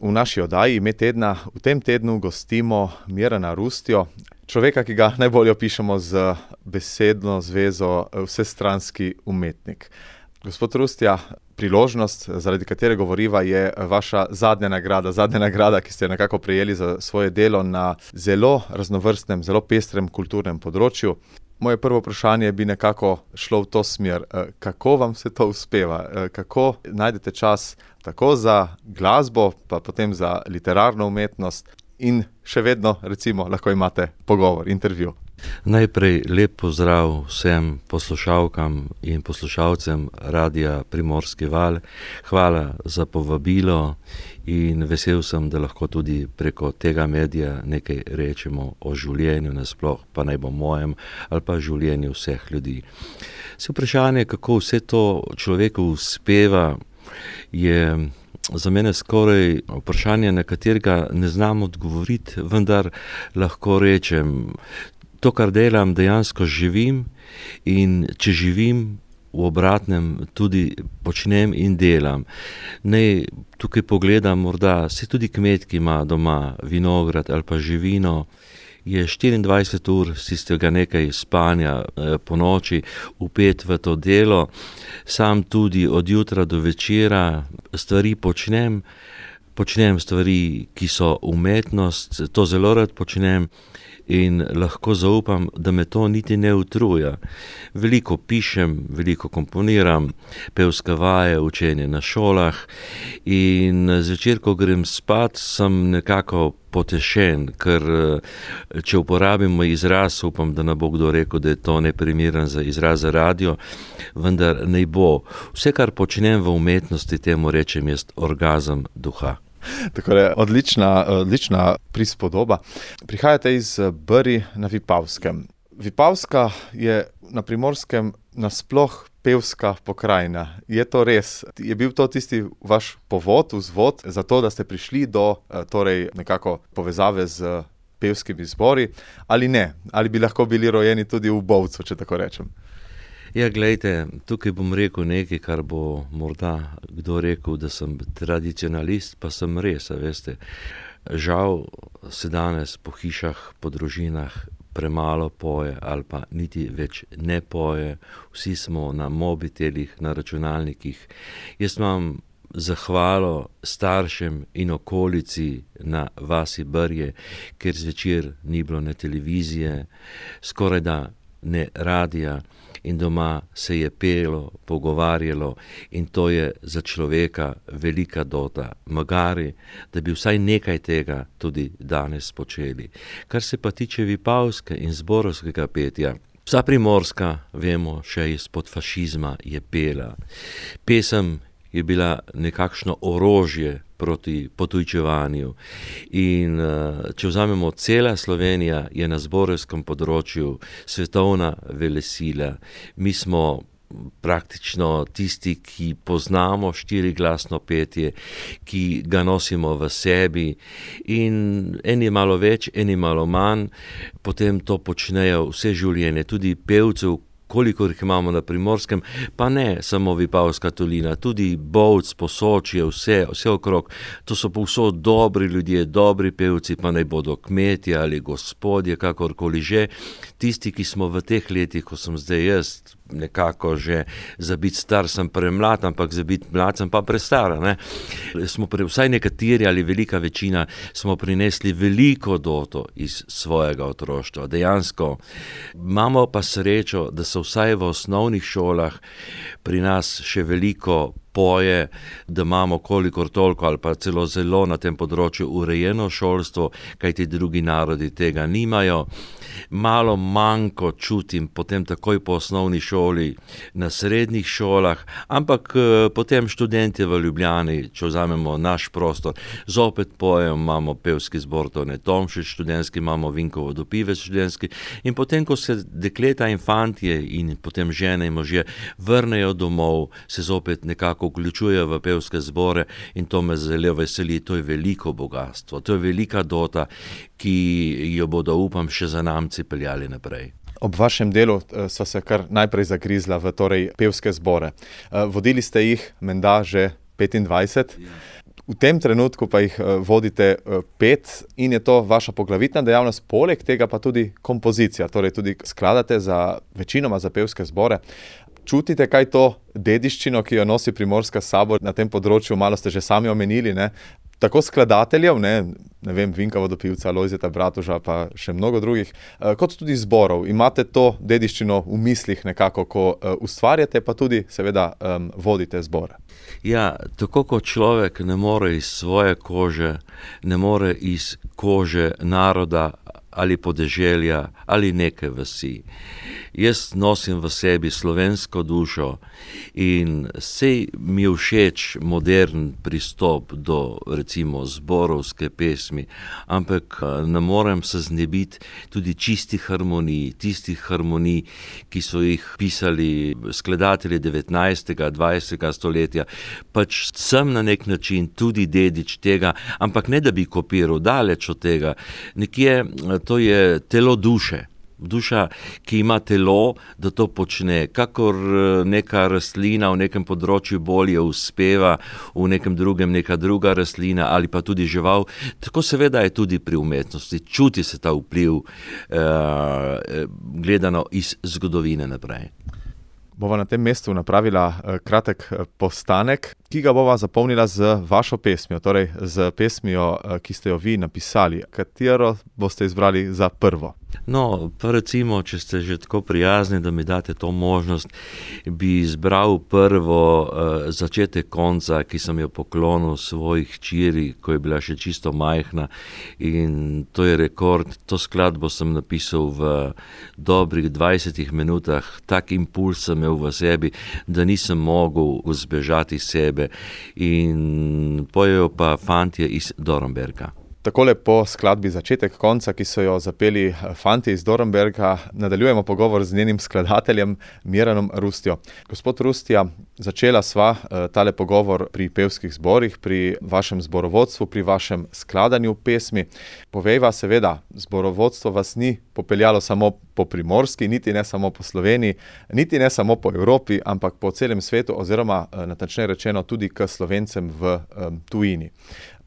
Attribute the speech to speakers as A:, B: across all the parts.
A: v naši oddaji Ime tedna v tem tednu gostimo Mirana Rustjo, človeka, ki ga najbolje opišemo z besedno zvezo vsestranski umetnik. Gospod Rustja, priložnost, zaradi katere govoriva, je vaša zadnja nagrada, ki ste jo nekako prejeli za svoje delo na zelo raznovrstnem, zelo pestrem kulturnem področju. Moje prvo vprašanje bi nekako šlo v to smer. Kako vam se to uspeva? Kako najdete čas tako za glasbo, pa potem za literarno umetnost in še vedno, recimo, lahko imate pogovor, intervju?
B: Najprej lep pozdrav vsem poslušalkam in poslušalcem Radia Primorski val. Hvala za povabilo in vesel sem, da lahko tudi preko tega medija nekaj rečemo o življenju nasploh, pa naj bo mojem ali pa življenju vseh ljudi. Vprašanje, kako vse to človeku uspeva, je za mene skoraj vprašanje, na katerega ne znam odgovoriti, vendar lahko rečem, to, kar delam, dejansko živim, in če živim, v obratnem tudi počnem in delam. Naj tukaj pogledam, morda se tudi kmet, ki ima doma vinograd ali pa živino, je 24 ur z tistega nekaj spanja po noči vpet v to delo. Sam tudi od jutra do večera stvari počnem stvari, ki so umetnost, to zelo rad počnem in lahko zaupam, da me to niti ne utruja. Veliko pišem, veliko komponiram, pevske vaje, učenje na šolah in zvečer, ko grem spat, sem nekako potešen, ker če uporabimo izraz, upam, da ne bo kdo rekel, da je to neprimeren za izraz za radio, vendar ne bo. Vse, kar počnem v umetnosti, temu rečem jaz orgazem duha.
A: Tako je, odlična prispodoba. Prihajate iz Brij na Vipavskem. Vipavska je na Primorskem nasploh pevska pokrajina. Je to res? Je bil to tisti vaš povod, vzvod za to, da ste prišli do torej nekako povezave z pevskimi zbori, ali ne? Ali bi lahko bili rojeni tudi v Bovcu, če tako rečem?
B: Ja, glejte, tukaj bom rekel nekaj, kar bo morda kdo rekel, da sem tradicionalist, pa sem res, veste. Žal se danes po hišah, po družinah premalo poje ali pa niti več ne poje. Vsi smo na mobitelih, na računalnikih. Jaz imam zahvalo staršem in okolici na vasi Brje, ker zvečer ni bilo ne televizije, skorajda ne radija, in doma se je pelo, pogovarjalo in to je za človeka velika dota. Magari, da bi vsaj nekaj tega tudi danes počeli. Kar se pa tiče Vipavske in zborovskega petja, vsa Primorska, vemo, še izpod fašizma je pela. Pesem je bila nekakšno orožje proti potujčevanju. In če vzamemo, cela Slovenija je na zborovskem področju svetovna velesila. Mi smo praktično tisti, ki poznamo štiriglasno petje, ki ga nosimo v sebi in eni malo več, eni malo manj, potem to počnejo vse življenje, tudi pevcev, kolikor jih imamo na Primorskem, pa ne samo Vipavska dolina, tudi Bovc, Posočje, vse okrog. To so povsod dobri ljudje, dobri pevci, pa naj bodo kmetje ali gospodje, kakorkoli že. Tisti, ki smo v teh letih, ko sem zdaj jaz, nekako že za biti star sem premlad, ampak za biti mlad sem pa prestara, ne. Smo vsaj nekateri ali velika večina smo prinesli veliko doto iz svojega otroštva. Dejansko imamo pa srečo, da so vsaj v osnovnih šolah pri nas še veliko poje, da imamo kolikor toliko ali pa celo zelo na tem področju urejeno šolstvo, kajti drugi narodi tega nimajo. Malo manjko čutim potem takoj po osnovni šoli na srednjih šolah, ampak potem študentje v Ljubljani, če vzamemo naš prostor, zopet pojejo, imamo pevski zbor Tone Tomšič študentski, imamo Vinkovo Dopivec študentski in potem, ko se dekleta in fantje in potem žene in možje vrnejo domov, se zopet nekako vključujejo v pevske zbore in to me zelo veseli. To je veliko bogatstvo, to je velika dota, ki jo bodo, upam, še zanamci peljali naprej.
A: Ob vašem delu sva se kar najprej zagrizla v pevske zbore. Vodili ste jih menda že 25. V tem trenutku pa jih vodite 5 in je to vaša poglavitna dejavnost, poleg tega pa tudi kompozicija, torej tudi skladate večinoma za pevske zbore. Čutite kaj to dediščino, ki jo nosi Primorska s sabo na tem področju, malo ste že sami omenili, ne? Tako skladateljev, ne vem, Vinka Vodopivca, Lojzeta Bratuža, pa še mnogo drugih, kot tudi zborov. Imate to dediščino v mislih nekako, ko ustvarjate, pa tudi seveda vodite zbore.
B: Ja, tako kot človek ne more iz svoje kože, ne more iz kože naroda ali podeželja ali neke vasi. Jaz nosim v sebi slovensko dušo in sej mi je všeč modern pristop do recimo zborovske pesmi, ampak ne morem se znebiti tudi čistih harmonij, tistih harmonij, ki so jih pisali skladatelji 19. 20. stoletja. Pač sem na nek način tudi dedič tega, ampak ne da bi kopiral, daleč od tega. Nekje to je telo duše. Duša, ki ima telo, da to počne, kakor neka rastlina v nekem področju bolje uspeva, v nekem drugem neka druga rastlina ali pa tudi žival, tako seveda je tudi pri umetnosti. Čuti se ta vpliv, gledano iz zgodovine naprej.
A: Bova na tem mestu napravila kratek postanek, ki ga bova zapolnila z vašo pesmijo, torej z pesmijo, ki ste jo vi napisali. Katero boste izbrali za prvo?
B: No, pa recimo, če ste že tako prijazni, da mi date to možnost, bi izbral prvo začetek konca, ki sem jo poklonil svoji hčeri, ko je bila še čisto majhna, in to je rekord. To skladbo sem napisal v dobrih 20 minutah, tak impuls sem imel v sebi, da nisem mogel zbežati iz sebe, in pojejo pa fantje iz Dornberga.
A: Takole po skladbi Začetek konca, ki so jo zapeli fantje iz Dornberga, nadaljujemo pogovor z njenim skladateljem Miranom Rustjo. Gospod Rustja, začela sva tale pogovor pri pevskih zborih, pri vašem zborovodstvu, pri vašem skladanju pesmi. Povejva, seveda, zborovodstvo vas ni popeljalo samo po Primorski, niti ne samo po Sloveniji, niti ne samo po Evropi, ampak po celem svetu, oziroma natančneje rečeno tudi k Slovencem v tujini.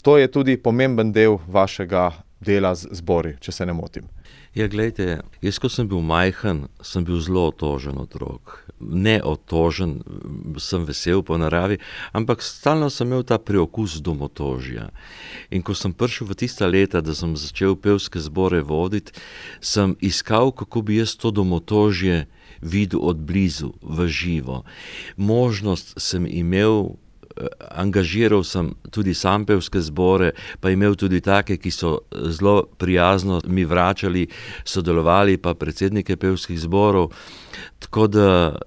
A: To je tudi pomemben del vašega dela z zbori, če se ne motim.
B: Ja, glejte, jaz, ko sem bil majhen, sem bil zelo otožen otrok. Ne otožen, sem vesel po naravi, ampak stalno sem imel ta preokus domotožja. In ko sem prišel v tista leta, da sem začel pevske zbore voditi, sem iskal, kako bi jaz to domotožje videl od blizu, v živo. Možnost sem imel, angažiral sem tudi sam pevske zbore, pa imel tudi take, ki so zelo prijazno mi vračali, sodelovali pa predsednike pevskih zborov, tako da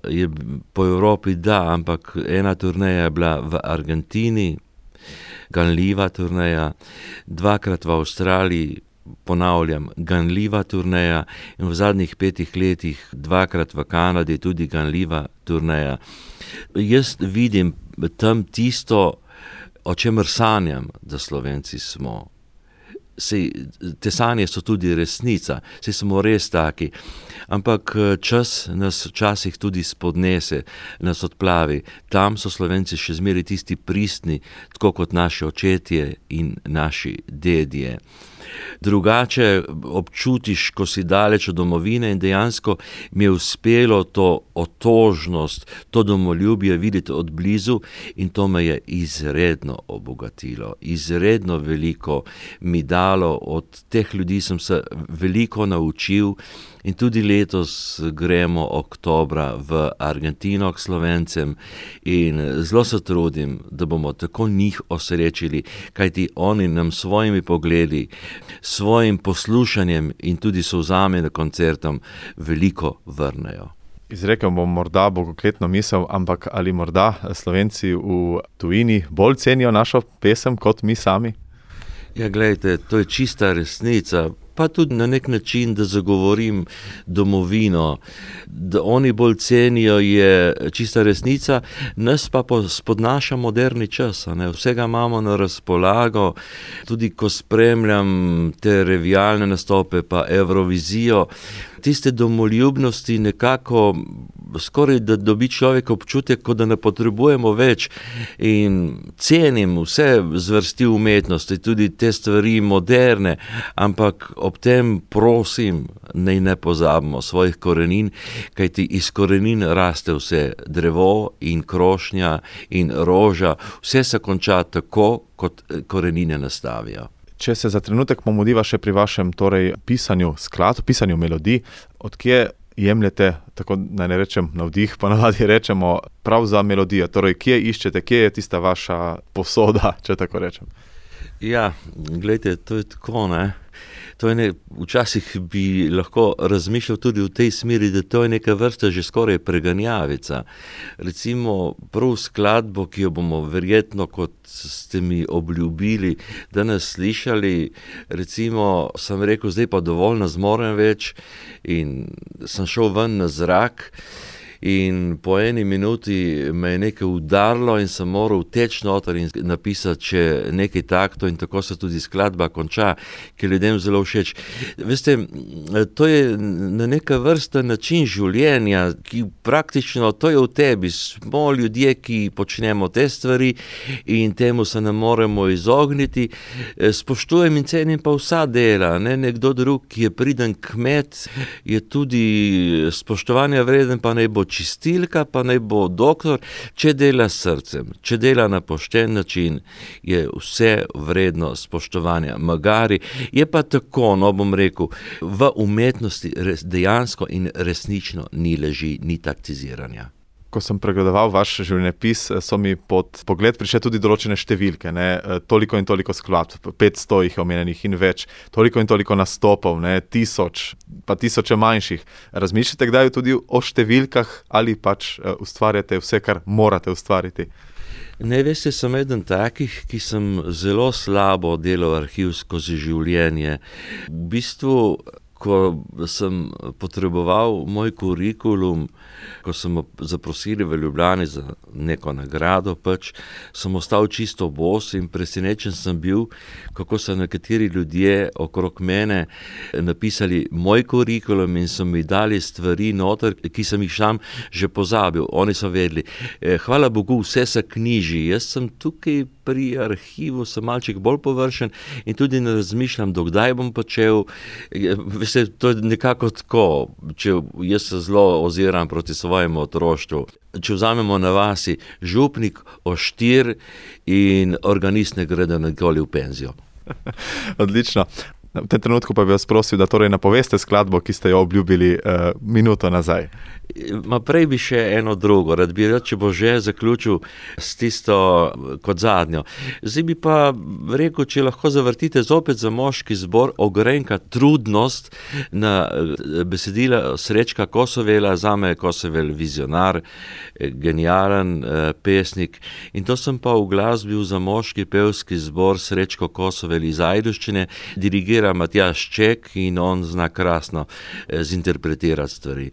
B: je po Evropi ampak ena turneja je bila v Argentini, ganljiva turneja, 2-krat v Avstraliji, ponavljam, ganljiva turneja, in v zadnjih 5 letih 2-krat v Kanadi, tudi ganljiva turneja. Jaz vidim tam tisto, o čemer sanjam, da Slovenci smo. Sej, te sanje so tudi resnica, sej smo res taki, ampak čas nas včasih tudi spodnese, nas odplavi. Tam so Slovenci še zmeraj tisti pristni, tako kot naši očetje in naši dedje. Drugače občutiš, ko si daleč od domovine, in dejansko mi je uspelo to otožnost, to domoljubje videti od blizu, in to me je izredno obogatilo, izredno veliko mi dalo. Od teh ljudi sem se veliko naučil, in tudi letos gremo oktobra v Argentino k Slovencem in zelo se trudim, da bomo tako njih osrečili, kajti oni nam svojimi pogledi, svojim poslušanjem in tudi solzami na koncertom veliko vrnejo.
A: Izrekel bom morda bogokletno misel, ampak ali morda Slovenci v tujini bolj cenijo našo pesem kot mi sami?
B: Ja, glejte, to je čista resnica, pa tudi na nek način, da zagovorim domovino, da oni bolj cenijo, je čista resnica, nas pa spodnaša moderni čas, ne? Vsega imamo na razpolago, tudi ko spremljam te revijalne nastope pa Evrovizijo, tiste domoljubnosti nekako skoraj da dobi človek občutek, kot da ne potrebujemo več, in cenim vse zvrsti umetnosti, tudi te stvari moderne, ampak ob tem prosim, naj ne pozabimo svojih korenin, kajti iz korenin raste vse, drevo in krošnja in roža, vse se konča tako, kot korenine nastavijo.
A: Če se za trenutek pomodiva še pri vašem pisanju skladb, pisanju melodij, odkje jemljete, tako naj ne rečem navdih, pa navadi rečemo, prav za melodijo? Torej, kje iščete, kje je tista vaša posoda, če tako rečem?
B: Ja, glejte, to je tako, ne. Včasih bi lahko razmišljal tudi v tej smeri, da to je neka vrsta že skoraj preganjavica. Recimo prav skladbo, ki jo bomo verjetno, kot ste mi obljubili, danes slišali, recimo sem rekel, zdaj pa dovolj, ne zmorem več, in sem šel ven na zrak. In po 1 minuti me je nekaj udarilo in sem moral teči noter in napisati še nekaj taktov, in tako se tudi skladba konča, ki je ljudem zelo všeč. Veste, to je na neka vrsta način življenja, ki praktično, to je v tebi. Smo ljudje, ki počnemo te stvari in temu se ne moremo izogniti. Spoštujem in cenim pa vsa dela, ne? Nekdo drug, ki je priden kmet, je tudi spoštovanja vreden, pa naj bo čistilka, pa naj bo doktor, če dela s srcem, če dela na pošten način, je vse vredno spoštovanja. Magari je pa tako, bom rekel, v umetnosti dejansko in resnično ni laži, ni taktiziranja.
A: Ko sem pregledoval vaš življenjepis, so mi pod pogled prišle tudi določene številke, ne, toliko in toliko skladb, 500 jih je omenjenih in več, toliko in toliko nastopov, ne, 1000, pa 1000 manjših. Razmišljate kdaj tudi o številkah ali pač ustvarjate vse, kar morate ustvariti?
B: Ne, veste, sem eden takih, ki sem zelo slabo delal arhiv skozi življenje. V bistvu, ko sem potreboval moj kurikulum, ko sem zaprosili v Ljubljani za neko nagrado, sem ostal čisto bos in presenečen sem bil, kako so nekateri ljudje okrog mene napisali moj kurikulum in so mi dali stvari noter, ki sem jih sam že pozabil. Oni so vedeli, hvala Bogu, vse se knjiži, jaz sem tukaj pri arhivu, sem malček bolj površen in tudi ne razmišljam, do kdaj bom počel. Veste, to je nekako tako, če jaz se zelo oziram proti svojemu otroštvu. Če vzamemo na vasi župnik, oštir in organist ne gre nikoli v penzijo.
A: Odlično. V tem trenutku pa bi vas prosil, da napoveste skladbo, ki ste jo obljubili minuto nazaj.
B: Prej bi še eno drugo, rad bi, če bo že zaključil s tisto kot zadnjo. Zdaj bi pa rekel, če lahko zavrtite zopet za moški zbor Ogrenka Trudnost na besedila Srečka Kosovela, zame je Kosovel vizionar, genijalen pesnik, in to sem pa uglasbil za moški pevski zbor Srečko Kosovel iz Ajdovščine, dirigira Matjaž Ček in on zna krasno zinterpretirati stvari.